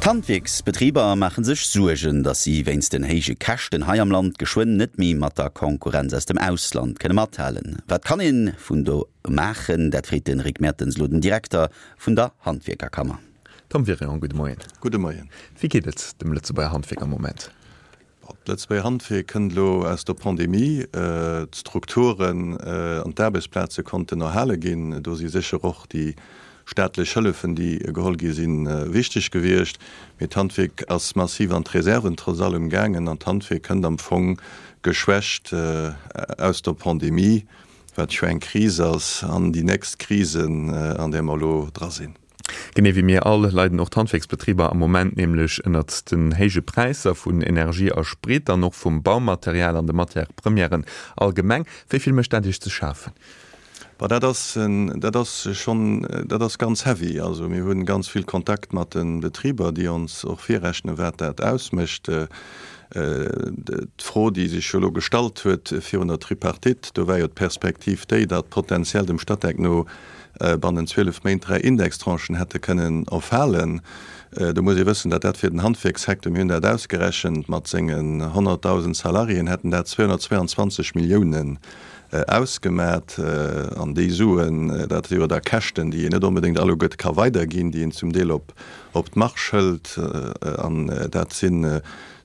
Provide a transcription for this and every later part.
D'Handwierksbetriber maache sech Suergen, datt si wéinst den héije Käschten hei am Land geschwënn net méi mat der Konkurrenz aus dem Ausland kënne mathalen. Wat kann ee vun do maachen? Dat freet de Rick Mertens elo den Direkter vun der Handwierkerkammer. Tom Wirion, gudde Moien. Gudde Moien. Wéi geet et dem Lëtzebuerger Handwierk am Moment? D'Lëtzebuerger Handwierk kënnt elo aus der Pandemie. D'Strukturen an d'Aarbechtsplaze konnten erhale ginn. Do si sécher och déi staatlech Hëllefen, déi geholl gi sinn, wichteg gewiescht. Mee d'Handwierk ass massiv an d'Reserven trotz allem gaangen an d'Handwierk kënnt am Fong geschwächt aus der Pandemie, wat jo eng Kris ass, an déi nächst Krisen, an där mer elo dra sinn. Genee wéi mir all leiden och d'Handwierksbetriber am Moment nämlech ënnert den héije Präisser vun Energie a Sprit an och vum Baumaterial an de Matières premièren allgemeng. Wéi vill mécht dat Iech ze schafen? Bon, dat ass, dat ass schonn, dat ass ganz heavy. Also mir hu ganz vill Kontakt mat de Betriber, déi ons och virrechnen, wat dat ausmécht. D'Fro, déi sech jo elo gestallt huet virun der Tripartite, do war jo d'Perspektiv déi, datt potenziell dem Statec no bannent 12 Méint 3 Indextranchen hätte kënnen erfalen. Do muss ee wëssen, datt dat fir den Handwierkssecteur, mir hunn dat ausgerechent, mat sengen 100.000 Salariéen hätten dat 222 Milliounen ausgemat. An déi Suen, dat si jo da Käschten, déi een net onbedéngt alleguerte ka weiderginn, déi een zum Deel op d'Marge hëlt. An dat si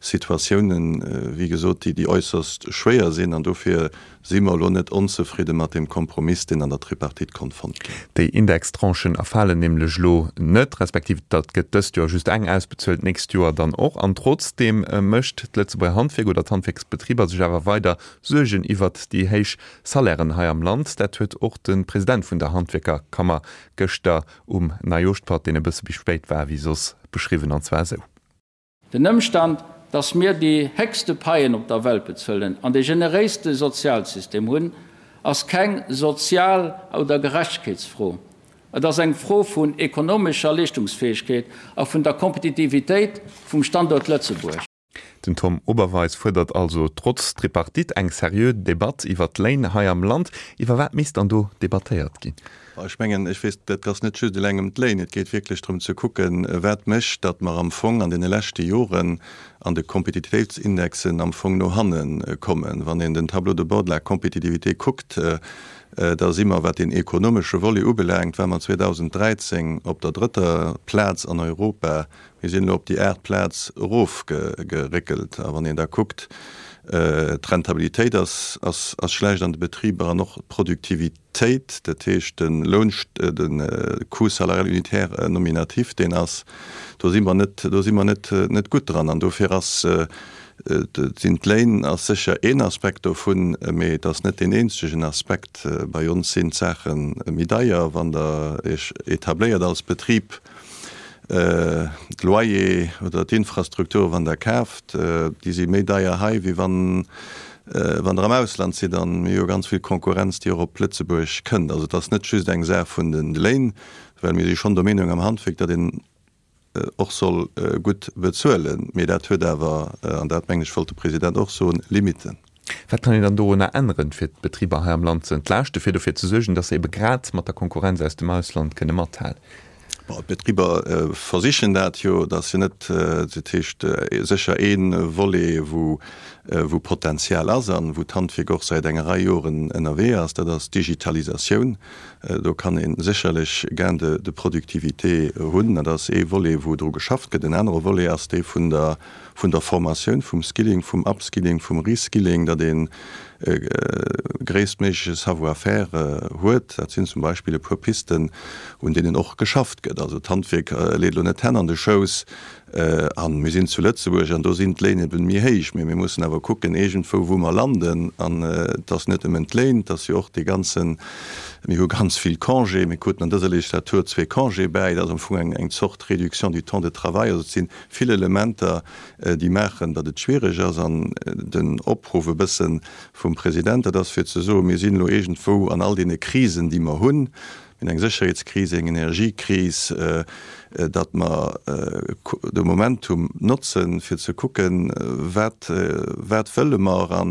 Situatiounen, wéi gesot, déi äusserst schwéier sinn. An dofir Si mer elo net onzefridde mat deem Kompromiss, deen an der Tripartite konnt fonnt ginn. Déi Indextranchen erfalen nämlech elo net, respektiv dat gëtt dëst Joer just eng ausbezuelt, d'nächst Joer dann och. An trotzdeem mécht d'Lëtzebuerger Handwierk oder d'Handwierksbetriber sech awer weider Suergen iwwert déi héich Salairen hei am Land. Dat huet och de President vun der Handwierkerkammer gëschter um Neijooschpatt, deen e bësse méi spéit war wéi soss, beschriwwen, an zwar esou. Den Ëmstand, dass mir déi héchste Paien op der Welt bezuelen an dee generéiste Sozialsystem hunn, ass keng Sozial oder Gerechtegkeetsfro. Et ass eng Fro vun ekonomescher Leeschtungsfäegkeet a vun der Kompetitivitéit vum Standuert Lëtzebuerg. Den Tom Oberweis fuerdert also trotz Tripartite eng seriö Debatt iwwer d'Léin hei am Land. Iwwer wat misst dann do debattéiert ginn? Ech mengen, ech weess, et ass net just eleng ëm d'Léin. Et geet wierklech drëm ze kucken, wat mécht, datt mer am Fong an deene leschte Joren an de Kompetitivitéitsindexen am Fong no hanne kommen. Wann een den Tableau de bord de la compétitivité kuckt, da si mer, wat deen ekonomesche Volet ubelaangt, war mer 2013 op der drëtter Plaz an Europa. Mir sinn elo op déi aacht Plaz erofgeréckelt. A wann een da kuckt, d'Rentabilitéit ass schlecht an de Betriber an och d'Produktivitéit. Téit, dat heescht de Loun, de Coût salarial unitaire nominatif, deen ass, do si mer net, do si mer net, net gutt dran. An dofir ass, sinn d'Léin ass sécher een Aspekt dovun, mee et ass net deen eenzegen Aspekt. Bei ons sinn d'Saache méi deier, wann Der Iech etabléiert als Betrib. D'Loyer oder d'Infrastrukture wann Der kaaft, déi si méi deier hei, wéi wann wann Der am Ausland sidd. An mir hu jo ganz vill Konkurrenz, déi och op Lëtzebuerg kënnt. Also et ass net just eng Saach vun de Léin, well mir si schonn der Meenung am Handwierk, datt een och soll gutt bezuelen. Mee dat huet awer, an dat mengen ech wollt de President och soen, Limitten. Wat kann een dann dorunner änneren, fir d'Betriber hei am Land ze entlaaschten, fir dofir ze suergen, datt se ebe grad mat der Konkurrenz aus dem Ausland kënne mathalen? Bon, d'Betriber versichen dat jo, datt se net, dat heescht sécher ee Volet, wou wou Potenzial ass an wou d'Handwierk och säit enger Rei Joren ënnerwee ass, dat ass d'Digitalisatioun. Do kann ee sécherlech Gain de de productivité hunn. Dat ass ee Volet, wou dru geschafft gëtt. En anere Volet ass dee vun der vun der Formatioun, vum Skilling, vum Upskilling, vum Reskilling, datt een e gréisstméigleche Savoir-faire huet. Dat sinn zum Beispill e puer Pisten, un deenen och geschafft gëtt. Also d'Handwierk leet elo net d'Hänn an de Schouss. A mir sinn zu Lëtzebuerg an do sinn d'Léin eben méi héich. Mee mir mussen awer kucken iergendwou, wou mer landen. An et ass net nëmmen d'Léin, et ass jo och dee ganzen, mir hu ganz vill Congé, mir kruten an dëser Legislatur zwee Congé bäi, dat ass am Fong eng Zort Réduction du temps de travail. Also et sinn Vill Elementer, déi maachen, datt et schwiereg ass. An den Opruff e bësse vum President, dat ass fir ze soen, mir sinn elo iergendwou an all deene Krisen, déi mer hunn, mir hunn eng Sécherheetskris, eng Energiekris, datt mer de Momentum notzen, fir ze kucken, wat, wat wëlle mer a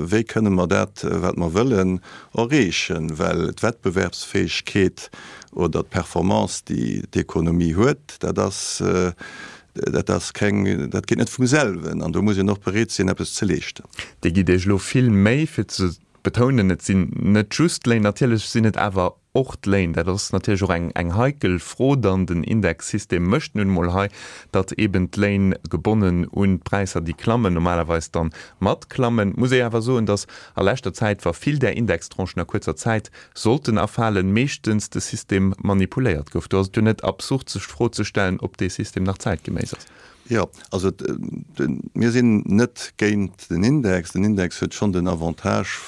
wéi kënne mer dat, wat mer wëllen, erreechen. Well d'Wettbewerbsfäegkeet oder d'Performance, déi d'Ekonomie huet, dat ass. Dat ass keng, dat geet net vum selwen an do muss een och bereet sinn, eppes ze leeschten. Dir gitt Iech elo vill Méi fir ze betounen, et sinn net just d'Léin, natierlech sinn et awer och d'Léin. Dat ass natierlech och eng eng heikel Fro dann. Den Indexsystem mécht nun emol hei, datt eeben d'Léin gebonnen un d'Präisser, déi klammen, normalerweis dann matklammen. Muss ee awer soen, datt a leschter Zäit, wa vill där Indextranchen a kuerzer Zäit sollten erfalen, meeschtens de System manipuléiert gouf. Do ass et jo net absurd, sech d'Fro ze stellen, ob dee System nach zäitgeméiss ass. Jo, also mir sinn net géint den Index. Den Index huet schonn den Avantage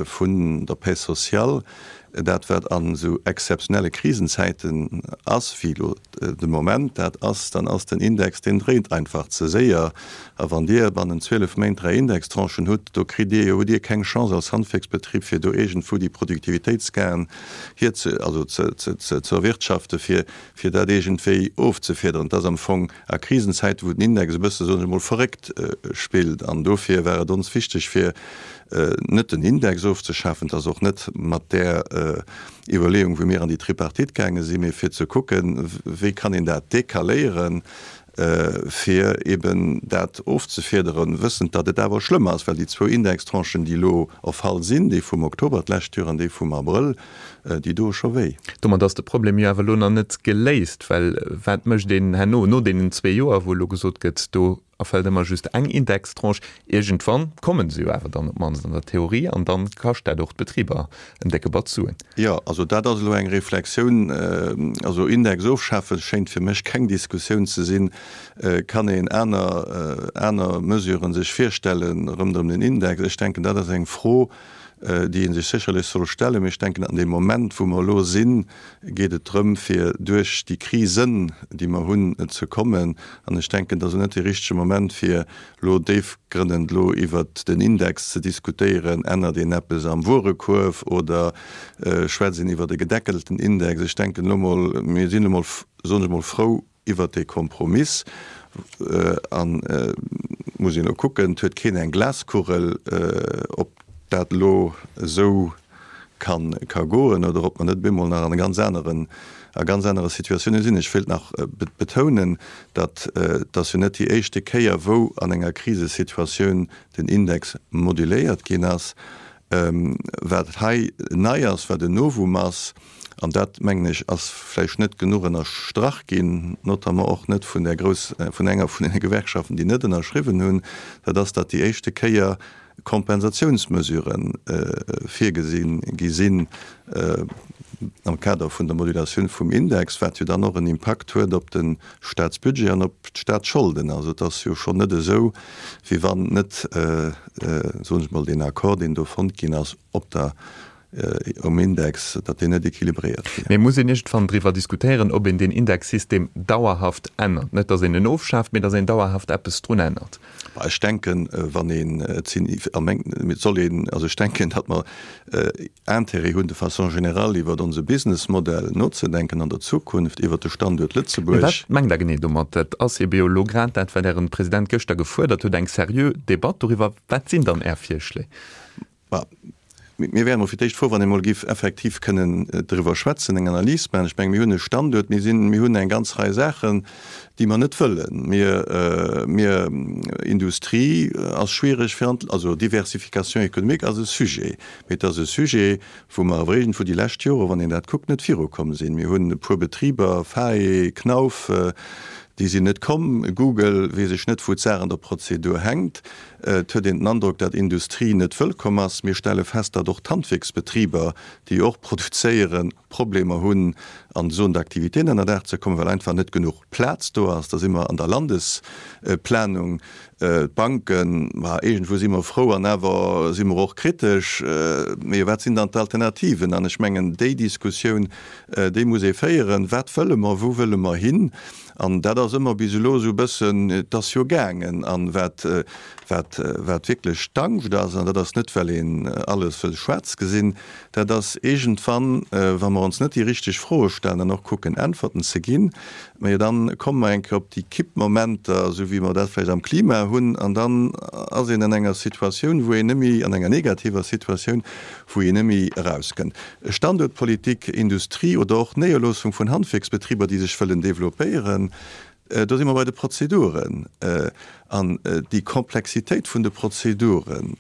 vun der Paix sociale, dat wat an esou exzeptionelle Krisenzäiten ass, wéi elo de Moment dat ass, dann ass den Index, deen dréint einfach ze séier. A wann Dir bannent 12 Méint 3 Indextranchen hutt, do kritt Dir jo, hutt Dir keng Chance als Handwierksbetrib, fir do iergendwou déi Produktivitéitsgainen hierze, also ze, ze, ze erwirtschaften, fir, fir dat iergendwéi ofzefiederen. Et ass am Fong a Krisenzäiten, wou den Index e bësse, soen ech emol, verréckt spillt. An dofir war et ons wichteg, fir net den Index ofzeschafen, et ass och net mat där Iwwerleeung, wou mir an déi Tripartite gaange sinn, mee fir ze kucken, wéi kann een dat decaléieren, fir eben dat ofzefiederen, wëssend, datt et awer schlëmm ass, well déi zwou Indextranchen, déi elo erfall sinn, déi vum Oktober d'lescht Joer an déi vum Abrëll, déi doe scho wéi. Domat ass de Problem jo awer elo nach net geléist, well wat mécht een herno, no deenen zwee Joer, wou elo gesot gëtt, do erfält ëmmer just eng Indextranche. Iergendwann komme se jo awer dann op d'mannst an der Theorie an dann kascht dat och d'Betriber en décke Batz Suen. Jo, also dat ass elo eng Reflexioun. Also Index ofschafen schéint fir mech keng Diskussioun ze sinn. Kann een aner, aner Mesuren sech virstellen rëmderëm den Index? Ech denken, dat ass eng Fro, déi ee sech sécherlech soll stellen. Mee ech denken, an deem Moment, wou mer elo sinn, geet et drëm, fir duerch déi Krisen, déi mer hunn, ze kommen. An ech denken, et ass elo net dee richtege Moment, fir elo déifgrënnend elo iwwert den Index ze diskutéieren. Ännert een eppes am Wuerekuerf oder schwätzt een iwwert e gedeckelten Index? Ech denken elo mol, mir sinn elo mol, soen ech mol, frou, Iwwert dee Kompromiss an muss een elo kucken, et huet keen eng Glaskugel, ob dat elo esou ka ka goen oder ob mer net op eemol nach an e ganz aneren, a ganz anere Situatiounen sinn. Ech wéilt nach betounen, datt et ass jo net déi éischte Kéier, wou an enger Krisesituatioun den Index moduléiert ginn ass. Wat hei nei ass, wat en Novum ass, an dat, mengen ech, ass vläicht net genuch ënnerstrach ginn, notamment och net vun där grouss, vun enger vun deene Gewerkschaften, déi net ënnerschriwwen hunn, dat ass, datt déi éischte Kéier Kompensatiounsmesurë virgesi gi sinn am Kader vun der Modulatioun vum Index, wat jo dann och en Impakt huet op de Staatsbudget an op d'Staatsscholden. Also et ass jo schonn net esou, wéi wann net, soen ech mol, deen Accord, deen do fonnt ginn ass, op der um Index, datt deen net équilibréiert wier. Mee muss een iergendwann driwwer diskutéieren, ob een deen Indexsystem dauerhaft ännert? Net, datt een en ofschaaft, mee datt een dauerhaft eppes drun ännert. Ech denken, wann een, et sinn, a meng, et soll een, also ech denken, datt mer Intérêt hunn, de façon générale iwwert onse Businessmodell nozedenken an der Zukunft, iwwert de Standuert Lëtzebuerg. Mee wat mengt Der genee domat? Dat ass ebe jo elo grad dat, wat Ären President gëschter gefuerdert huet, eng seriö Debatt doriwwer. Wat sinn dann Är Virschléi? Bah, mir wären emol fir d'éischt frou, wann ee mol géif effektiv kënnen driwwer schwätzen, eng Analys maachen. Ech menge mir hunn e Standuert, mir sinn, mir hunn eng ganz Rei Saachen, déi mer net wëllen. Mir, mir, Industrie ass schwierig fir an, also Diversification économique ass e Sujet, mee et ass e Sujet, wou mer awer iergendwou déi lescht Jore, wann een dat kuckt, net virukomm sinn. Mir hunn e puer Betriber, Fae, Knauf, déi sinn net komm, Google, weess ech net, wou d'Saach an der Prozedur hänkt. Et huet een den Androck, datt Industrie net wëllkomm ass. Mir stelle fest, datt och d'Handwierksbetriber, déi och produzéieren, Problemer hunn, an Zone d'activité ënnerdaach ze kommen, well einfach net genuch Plaz do ass. Da si mer an der Landesplanung. D'Banken, ma iergendwou si mer frou an awer si mer och kritesch. Mee wat sinn dann d'Alternativen? An ech mengen, déi Diskussioun, déi muss ee féieren. Wat wëlle mer? Wou wëlle mer hin? An dat ass ëmmer bis elo esou e bëssen, et ass jo gaangen. An wat, wat, wat wierklech d'Angscht ass, an dat ass net, well een alles wëll schwaarz gesinn, dat ass iergendwann, wa mer ons net déi richteg Froe stellen an och kucken Äntwerten ze ginn, majo dann komme mer eng Kéier op déi Kippmomenter, esou wéi mer dat vläicht am Klima hunn, an dann ass een an enger Situatioun, wou een net méi, an enger negativer Situatioun, wou een net méi erauskënnt. Standuertpolitik, Industrie oder och Néierloossung vun Handwierksbetriber, déi sech wëllen developpéieren. Do si mer bei de Prozeduren. An déi Komplexitéit vun de Prozeduren,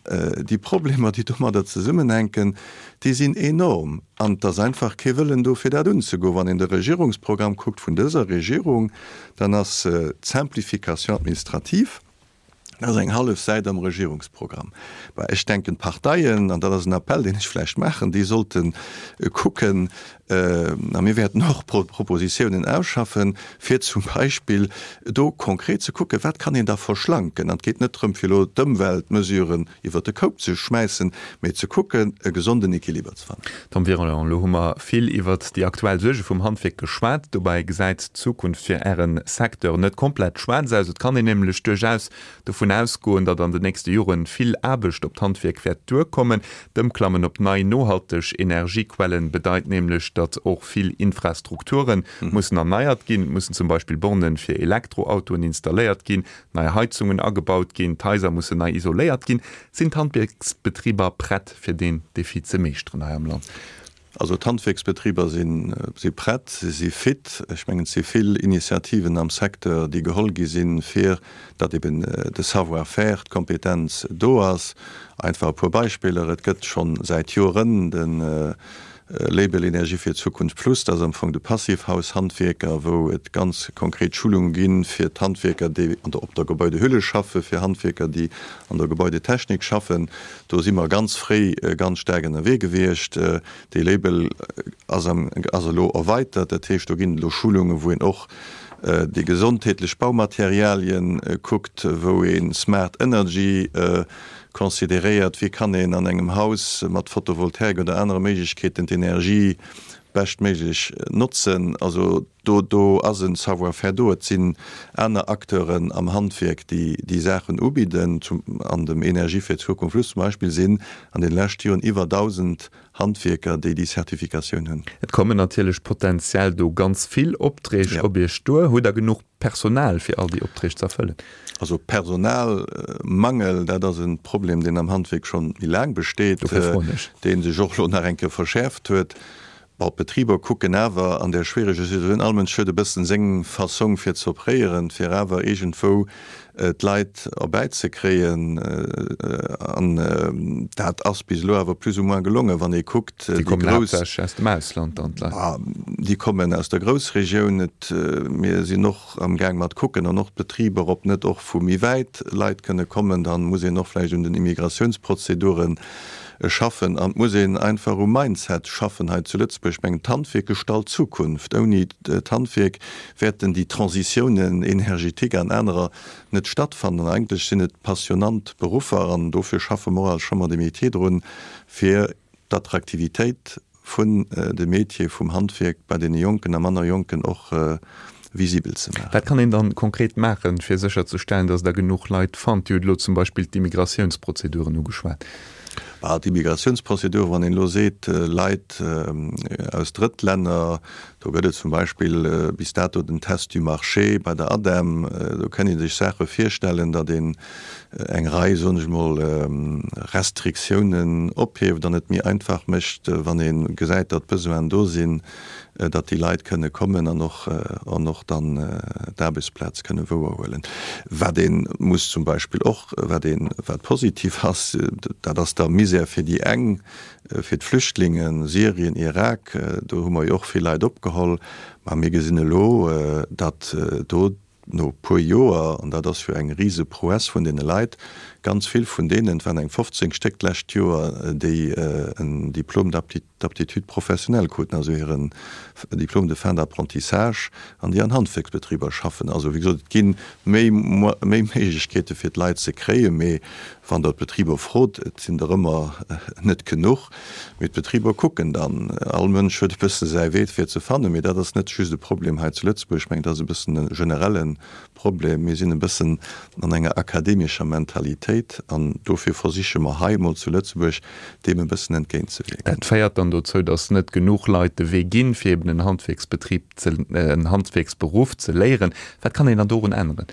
déi Problemer, déi domadder zesummenhänken, déi sinn enorm. An et ass einfach kee Wëllen do, fir dat unzegoen. Wann een de Regierungsprogramm kuckt vun dëser Regierung, dann ass d'Simplification administrative, dat ass eng hallef Säit am Regierungsprogramm. Bah, ech denken, d'Parteien, an dat ass en Appell, deen ech vläicht maachen, déi sollte kucken, a mir wäerten och Propositiounen ausschaffen, fir zum Beispill do konkret ze kucken, wat kann een da verschlanken. An et geet net drëm, fir elo d'Ëmweltmesuren iwwert de Koup ze schmäissen, mee ze kucken, e gesonden Equiliber ze fannen. Tom Virolan, elo hu mer vill iwwert déi aktuell Suerge vum Handwierk geschwat. Dobäi gesäit d'Zukunft fir Äre Secteur net komplett schwaarz aus. Et kann een nämlech duerchaus dovun ausgoen, datt an den nächste Jore vill Aarbecht op d'Handwierk wäert duerkommen. D'Ëmklammen op nei, nohalteg Energiequellen bedeit nämlech, datt och vill Infrastrukture mussen erneiert ginn. Et mussen zum Beispill Borne fir Elektroautoen installéiert ginn, nei Heizungen agebaut ginn, d'Haiser mussen nei isoléiert ginn. Sinn d'Handwierksbetriber prett, fir deen Defi ze meeschteren hei am Land? Also d'Handwierksbetriber si prett, si si fit. Ech mengen, et si vill Initiativen am Secteur, déi geholl gi sinn, fir datt eben de Savoir-faire, d'Kompetenz do ass. Einfach e puer Beispiller, Et gëtt scho säit Joren de Label Energie fir d'Zukunft Plus, dat ass am Fong de Passivhaus-Handwierker, wou et ganz konkret Schulunge gi fir d'Handwierker, déi op der Gebäudehülle schaffen, fir Handwierker, déi an der Gebäudetechnik schaffen. Do si mer ganz fréi ganz staark ënnerwee gewiescht. Dee Label ass am, ass elo erweitert. Dat heescht, do ginn et elo Schulungen, wou een och déi gesondheetlech Baumaterialien kuckt, wou ee Smart Energy consideréiert, wéi kann een an engem Haus mat Photovoltaik oder anere Méiglechkeeten d'Energie beschtméiglech notzen. Also Do, do ass e Savoir-faire do. Et sinn aner Acteuren am Handwierk, déi déi Saachen ubidden. Zum, an dem Energie fir d'Zukunft Plus zum Beispill sinn an deene leschte Joren iwwer 1.000 Handwierker, déi déi Certificatioun hunn. Et kommen natierlech potenziell do ganz vill Opträg op Iech duer. Hutt Der genuch Personal, fir all déi Opträg ze erfëllen? Also Personalmangel, dat ass e Problem, deen am Handwierk schonn méi laang besteet, dee sech och elo nach eng Kéier verschäerft huet. Bon, d'Betriber kucken awer an där schwiereger Situatioun, all Mënsch huet e bëssen seng Fassong fir ze opréieren, fir awer iergendwou d'Leit erbäizekréien. An dat ass bis elo awer plus ou moins gelongen, wann ee kuckt, déi grouss. Déi kommen haaptsächlech aus dem Ausland dann, d'Leit? Déi kommen aus der Groussregioun. Et, mir sinn och am gaang mat kucken an och d'Betriber, ob net och vu méi wäit Leit kënne kommen. Dann muss een och vläicht un den Immigratiounsprozedure schaffen an et muss een einfach um Mindset schaffen hei zu Lëtzebuerg. Ech mengen, d'Handwierk gestalt d'Zukunft. Ouni d'Handwierk wäerten déi Transitiounen énergétique an anerer net stattfannen. An eigentlech sinn et passionnant Beruffer an dofir schaffe mer och als Chambre des Métiers drun, fir d'Attraktivitéit vun de Métiere vum Handwierk bei deene Jonken a manner Jonken och visibel ze maachen. Wat kann een dann konkret maachen, fir sécherzestellen, datt Der genuch Leit fannt? Dir hutt elo zum Beispill d'Immigratiounsprozeduren ugeschwat. Bah, d'Immigratiounsprozeduren, wann een elo seet, Leit aus Drëttlänner, do gëtt et zum Beispill bis dato den Test du marché bei der ADEM, do kënn ee sech Saache virstellen, datt een eng Rei, soen ech mol, Restriktiounen ophieft an et méi einfach mécht, wann ee gesäit, datt Besoinen do sinn, datt déi Leit kënne kommen an och an och dann d'Aarbechtsplaz kënne wouerhuelen. Wat ee muss zum Beispill och, wat ee wat positiv ass, dat ass da Misär fir déi eng, fir d'Flüchtlingen, Syrien, Irak, do hu mer jo och vill Leit opgeholl, ma mir gesinn elo, datt do, No puer Joer, an dat ass jo eng rise Prouesse vun deene Leit, ganz vill vun deenen, et waren eng 15 Stéck d'lescht Joer, déi en Diplôme d'aptitude professionnelle kruten, also hiren Diplôme de fin d'apprentissage, an déi an Handwierksbetriber schaffen. Also, wéi gesot, et gi méi méi Méiglechkeete fir d'Leit ze kréien, mee wann Der d'Betriber frot, et sinn der ëmmer net genuch. Mee d'Betriber kucken dann. All Mënsch huet e bësse säi Wee fir ze fannen. Mee dat ass net just e Problem hei zu Lëtzebuerg. Ech mengen, dat ass e bëssen e generelle Problem. Mir sinn e bëssen an enger akademescher Mentalitéit an dofir versiche mer hei emol zu Lëtzebuerg, deem e bëssen entgéintzewierken. Dat féiert dann dozou, datt net genuch Leit de Wee ginn, fir eben en Handwierksbetrib ze, en Handwierksberuff ze léieren. Wat kann een dann dorun änneren?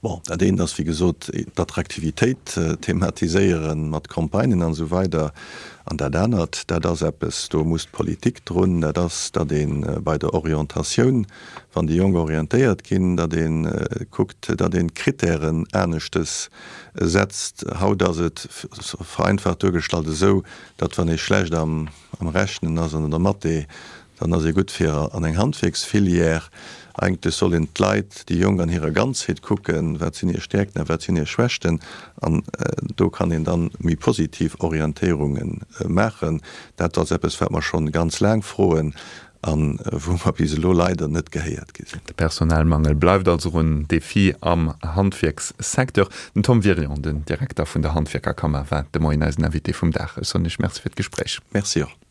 Bon, dat eent ass, wéi gesot, d'Attraktivitéit thematiséieren mat Campagnen an esou weider. An dat anert, dat ass eppes, do muss d'Politik drun, dat ass, datt ee bei der Orientatioun, wann déi Jonk orientéiert ginn, datt ee kuckt, datt een d'Kritären aneschtes setzt. Haut ass et vereinfacht duergestallt esou, datt wann ee schlecht am Rechnen ass an an der Mathé, Dann ass ee gutt fir an eng Handwierksfilière. Eigentlech soll een d'Leit, déi Jonk an hirer Ganzheet kucken, wat sinn hir Stäerkten a wat sinn hir Schwächten. An do kann een dann méi positiv Orientéierunge maachen. Dat ass eppes, wat mer schonn ganz laang froen a wou mer bis elo leider net gehéiert gi sinn. De Personalmangel bleift also en Defi am Handwierkssecteur. Den Tom Wirion, den Direkter vun der Handwierkerkammer, war de Moien eisen Invité vum Dag. Ech soen Iech Merci fir d'Gespréich. Merci och.